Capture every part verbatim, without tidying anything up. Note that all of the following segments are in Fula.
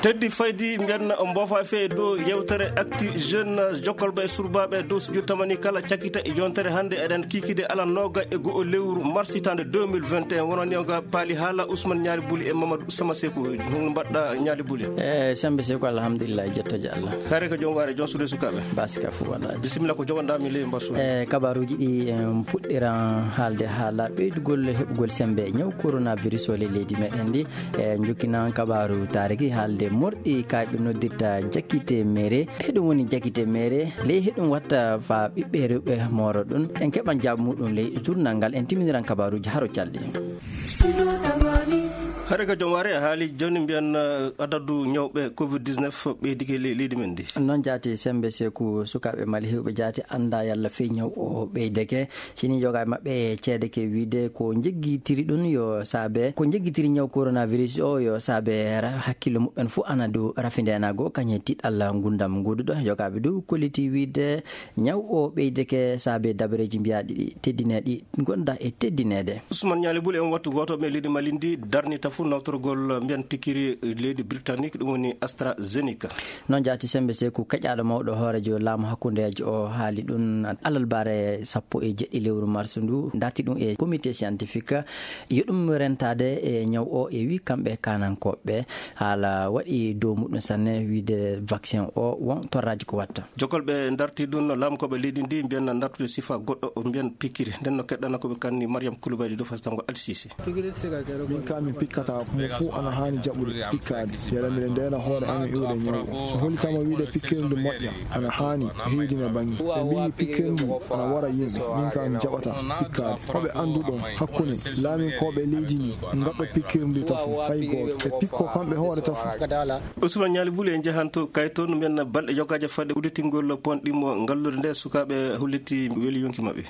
Heddi faydi mbiyanna o mboofa fee dow yewtere Actu Jeune, jokkolɓe e surbaaɓe dow sujur tamani kala cakita e yontere hannde eɗen kiikide ala nooga e go'o lewru mars hitande deux mille vingt et un. Wonani o ga paali haala Ousmane Ñaali Buli e Mamadou Sama Seku. Hon mbaɗɗa Ñaali Buli? E sembe Seku, alhamdulillah, jottoje Allah. Kare ko joom waare, joom suude sukaaɓe. Baska fu waɗa. Bisimilla, ko jogonɗa mi ley mbasu. E kabaruuji ɗi, en puɗɗiran haalde haala ɓeydugol heɓugol sembe ñaw coronavirus o ley leydi meɗen ndi. E jokkinan kabaaru taariki haalde morɗi kayɓe noddirta jakite mere. Heɗum woni jakite mere, ley heɗum watta fa ɓiɓɓe rewɓe mooro ɗum. En keɓan jaabu muɗum ley journal ngal, en timiniran kabaaruuji haro calɗi. Hare ka joom waare, a haali jooni mbiyan, eh, adadu ñawɓe covid dix-neuf ɓeydike ley leydi men ndi. Noon jaati sembe Seku, sukaaɓe Mali heewɓe jaati annda yalla fii ñaw o ɓeydeke. Sini yoga e maɓɓe ceede ke wiide ko jeggitiri ɗum yo saabe, ko jeggitiri ñaw coronavirus o yo saabe ra-, hakkille muɓɓen fof ana dow rafindeenago kañe tiɗalla ngundam nguduɗo. Yogaaɓe dow kolliti wiide ñaw o ɓeydeke saabe dabareeji mbiyaaɗi ɗi teddineeɗi gonda e teddineede. Ousmane Ñaali Buli, en wattu gooto ɓe leydi Mali ndi darnita fof nawtorgol mbiyan pikiri leydi Britannique, ɗum woni AstraZeneca. Noon jaati sembe Seku, keƴaaɗo mawɗo hooreejo laamu hakkundeejo o haali ɗum alarbaare sappo e jeɗɗi lewru mars ndu, darti ɗum e comité scientifique, yo ɗum rentaade e ñaw o e wi kamɓe kaanankooɓe. Haala waɗi dow muɗum sanne wiide vaccin o won torraaji ko watta. Jokkolɓe darti ɗum no laamu ko ɓe leydi ndi mbiyan dartude sifa goɗɗo o mbiyan pikiri. Nden no keɗɗana ko ɓe kanni Mariam Koulibaly dow fasitangol Alsisi. Min ka min pikkata mo fuu ana haani jaɓude pikkaade. Yala miɗen ndeena hoore amen iwde ñaw o. So hollitama wiide pikkirde moƴƴa, ana haani o heedina bannge. Ɓe mbiyi pikkirde ana wara yimɓe. Min ka mi jaɓata pikkaade. Hoɓe annduɗon hakkunde laaminkooɓe leydi ndi, ngaɗɗo pikkirde tafu fay gooto. Ɓe pikko kamɓe hoore tafu. Ousmane Ñaali Buli, en njahan to Kaytoon, mbiyan balɗe yogaaje fadde udditingol pont ɗimmo ngalluure nde sukaaɓe holliti weli yonki maɓɓe.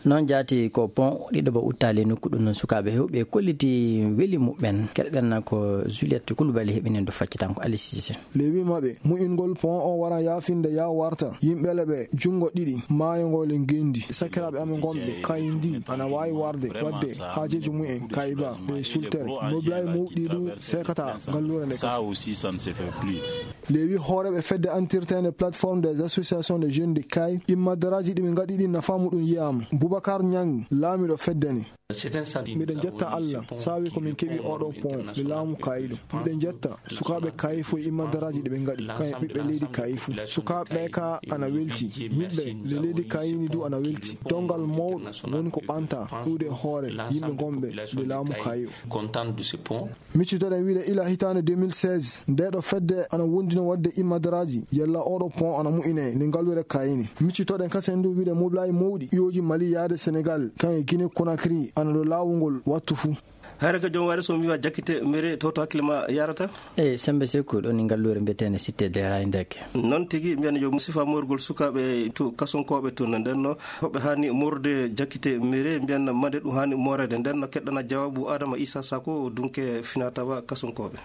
Noon jaati ko pont ɗiɗo ba uttaali nokku ɗum noon sukaaɓe heewɓe kolliti weli muɓɓen. Keɗoɗen ko Juliette Koulibaly heɓinen ɗo faccitanko Ali Cissé. Lewi maɓɓe mu'ingol pont o wara yaafinde ya warta yimɓe leɓe junngo ɗiɗi maayo ngol e ngenndi. Sakiraaɓe amen ngonɓe kayndi ana waawi warde waɗde haajeeji mumen kayba e sultere. Moblay mawɗi ɗum sekata ngalluure nde kasa. Lewi hooreɓe fedde antirtende plateforme des associations de jeunes de Kay, immadaraaji ɗi ɓe ngaɗi ɗi nafa muɗum yiyaama. Boubacar Niang, laamiɗo fedde ne. Miɗen jetta Allah saabi ko min keɓi oɗo pont le laamu Kayi ɗo. Miɗen jetta sukaaɓe Kayi fof e immadaraaji ɗi ɓe ngaɗi, kañum e ɓiɓɓe leydi Kayi fof. Sukaaɓe ɓe ka ana welti. Yimɓe le leydi Kayi ni du ana welti. Dongal mawɗo woni ko ɓanta ɗuuɗe hoore yimɓe gonɓe le laamu Kayi o. Miccitoɗen wiide ila hitaande deux mille seize, nde ɗo fedde ana wondino waɗde immadaraaji, yalla oɗo pont ana moƴƴine nde ngalluure Kayini. Miccitoɗen kasen du wiide moblaaji mawɗi iwooji Mali yaade Senegal, kan e Guinée Conakry, ana ɗo laawol ngol wattu fuu. Hare ka joom waare so mi wiwa jakkite mere to to hakkille ma yarata? Eyi, sembe Seku ɗo ni ngalluure mbiyeteende Cité des Rails ndeke. Noon tigi, mbiyan yo musifa moorgol sukaaɓe to kasonkooɓe to no nden no. Hoɓe haani moorde jakkite mere, mbiyan mande ɗum haani mooreede. Nden no keɗɗana jawaabu Adama Issa Sako, dunke finatawa kasonkooɓe.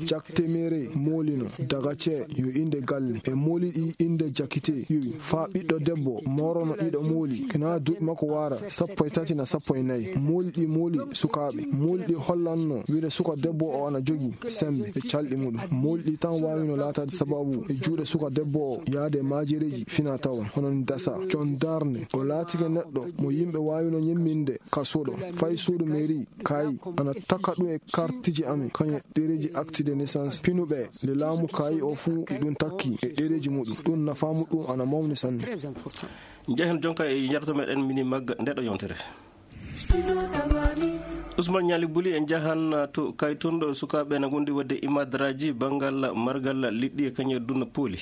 Jakte mere moolino daga ce yo innde galle. E mooli ɗi innde jakkite yowi. Faa ɓiɗɗo debbo moorono ɗiɗo mooli. Kina duuɓi makko waara sappo e tati na sappo e nayi. Mooli ɗi mooli sukaaɓe. Mooli ɗi hollanno wire suka debbo o ana jogi sembe e calɗi muɗum. Mooli ɗi tan waawino laataade sababu e juuɗe suka debbo o yaade maajereeji fina tawa. Hono ni dasa. Jon darnde. O laatike neɗɗo mo yimɓe waawino ñemminde ka suuɗo. Fay suudu mairie, kayi, ana taka ɗum e kartiji amen, kañum e ɗereeji acte de naissance. Pinuɓe le laamu kayi o fuu e ɗum takki e ɗereeji muɗum. Ɗum nafaamu ɗum ana mawni sanne. Njehen jonka e yarata meɗen mini magga nde ɗo yontere. Ousmane Ñaali Buli, en njahan to Kaytunɗo, sukaaɓe na ngondi waɗde imadraji banngal margal liɗɗi e kañum e dunna pooli.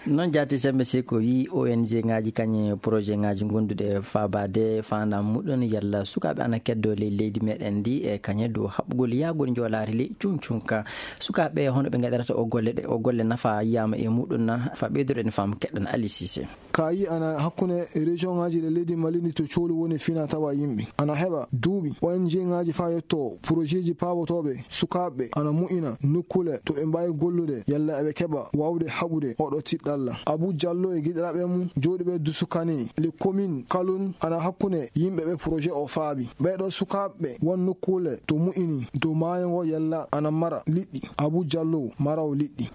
Noon jaati sembe si ko wii O N G ngaji kañe projet ngaji gonduɗe faabaade faandam muɗum yalla sukaaɓe ana keddo ley leydi meɗen ndi e kañe dow haɓɓugol yahgol njoolaari ley cuncunka. Sukaaɓe hono ɓe ngaɗirata o golle ɗe, o golle nafa yiyama e muɗum na fa ɓeydoɗen faamu keɗɗan Ali Cissé. Kayi ana hakkunde région ngaji ɗe leydi Mali ndi to coolu woni fina tawa yimɓe. Ana heɓa duuɓi O N G ngaji fa yetto projet ji paabotooɓe sukaaɓe ana moƴƴina nokkule to ɓe mbaawi gollude yalla eɓe keɓa waawde haɓude oɗo tiɗɗal. Abou Diallo e giɗiraaɓe mum jooɗiiɓe Dusukane, le commune Kaloun, ana hakkunde yimɓe ɓe projet o faabi. Ɓeeɗo sukaaɓe won nokkuule to mu'ini dow maayo ngo yalla ana mara liɗɗi. Abou Diallo, marawo liɗɗi.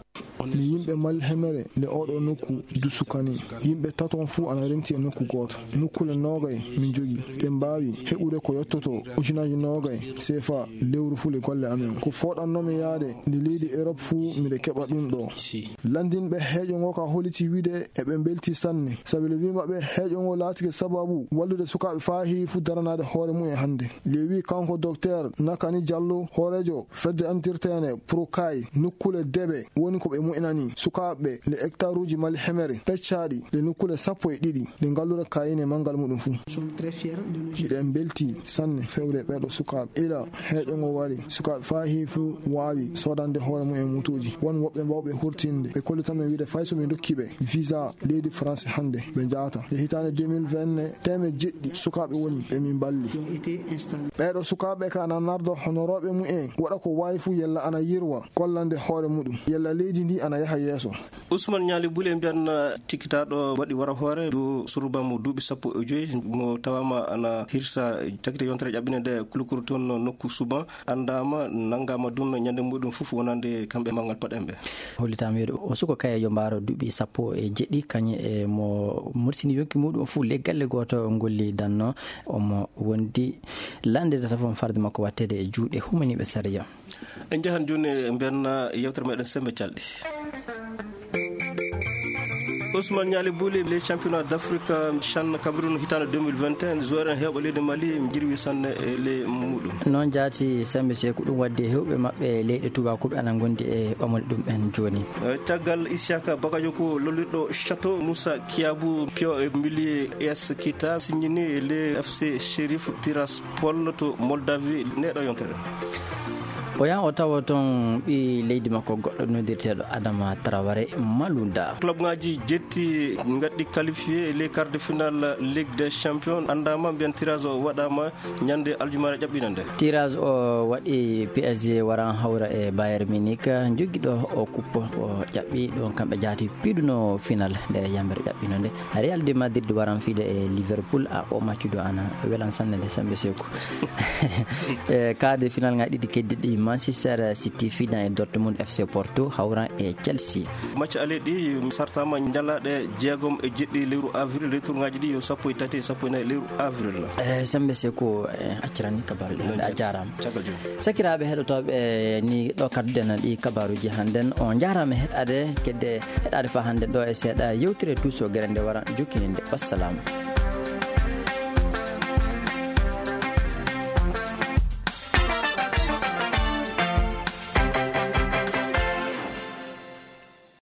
Ni yimɓe Malhemere le oɗo nokku Dusukane. Yimɓe taton fuu ana renti e nokku gooto. Nokkuule noogay min jogii. Ɗen mbaawi heɓude ko yottoto ujunaaji noogay seefa lewru fuu le golle amen. Ko fooɗannoomi yaade nde leydi Erop fuu miɗo keɓa ɗum ɗo. Lanndinɓe heejo ngo ka holliti wiide eɓe mbelti sanne. Sabi le wii maɓɓe heejo ngo laatike sababu wallude sukaaɓe faa heewi fuu daranaade hoore mum e hannde. Le wii kanko Docteur Nakani Diallo, hooreejo fedde antirteene Pro Kay, nokkuule deɓe woni ko ɓe moƴƴinani sukaaɓe le hectaruuji Malhemere peccaaɗi le nokkuule sappo e ɗiɗi le ngalluure Kayine manngal muɗum fuu. Miɗen mbelti sanne fewre ɓeeɗo sukaaɓe. Ila heejo ngo wari, sukaaɓe faa heewi fuu waawi soodande hoore mum e motooji. Won woɓɓe mbaawɓe hurtinde, ɓe kollita men wiide fay so min ndokki ɓe visa leydi France hannde, ɓe njaata. E hitaande deux mille vingt, teemeɗɗe jeɗɗi sukaaɓe woni ɓe min mballi. Ɓeeɗo sukaaɓe ka ana nardo honorooɓe mum en, waɗa ko waawi fuu yalla ana yirwa gollande hoore muɗum, yalla leydi ndi ana yaha yeeso. Ousmane Ñaali Bule mbiyan tikitaaɗo waɗi wara hoore dow surba mo duuɓi sappo e joy mo tawaama ana hirsa takite yontere ƴaɓɓine nde kulukuru toon nokku suban anndaama, nanngaama dun ñande muɗum fof wonande kamɓe manngal paɗen ɓe. Hollitaama wiide o suko kay yo mbaaro duuɓi sappo e jeɗɗi, kañum e mo mursini yonki muɗum fof le galle gooto ngolli danno, omo wondi lanndede tafon farde makko wattede e juuɗe humaniiɓe sariya. En njahan jooni e mbiyan yewtere meɗen Sembe Calɗi. Ousmane Ñaali Buli, les championnats d'Afrique, Chan Cameroun, hitaande deux mille vingt et un, joueur en heewɓe leydi Mali, jirwi sanne e ley muɗum. Noon jaati Sembe Seeku, ɗum waddi e heewɓe maɓɓe leyɗe tuubakooɓe ana ngondi e ɓamol ɗum en jooni. Eh, caggal Isiaka Bakajo ko lollirɗo Château Moussa Kiabou, Pio e Mbili S Kita, signini le F C Sheriff Tiraspol to Moldavie, neɗo yontere. O yahan o tawa toon ɓii leydi makko goɗɗo noddirteeɗo Adama Traoré Malouda. Club ngaji jetti ngaɗɗi qualifié les quarts de finale Ligue des Champions, anndaama mbiyan tirage o waɗaama ñande aljumaare ƴaɓɓina nde. Tirage o waɗi P S G waran hawra e Bayern Munich, joggi ɗo o kuppo o ƴaɓɓi ɗon kamɓe jaati piiduno final nde yambere ƴaɓɓino nde. Real de Madrid waran fiide e Liverpool, a o maccudo ana welan sanne nde Sembe Seeku. E quart de final ngaji ɗiɗi keddiɗi Manchester City fiidan e Dortmund, F C Porto hawran e Chelsea. Match aller ɗi sartama ñalaɗe jeegom e jeɗɗi lewru avril, retour ngaji ɗi yo sappo e tati e sappo e nayi lewru avril. E Sembe Seeku, e accirani kabaru ɗi hande a jaarama. Caggal jooni. Sakiraaɓe heɗotooɓe, ni ɗo kadduɗen ɗi kabaruji hannden. On njaaraama heɗaade kedde heɗaade fa hannden ɗo e seeɗa yewtere Tuuso Gere nde wara jokkininde. Wassalaamu.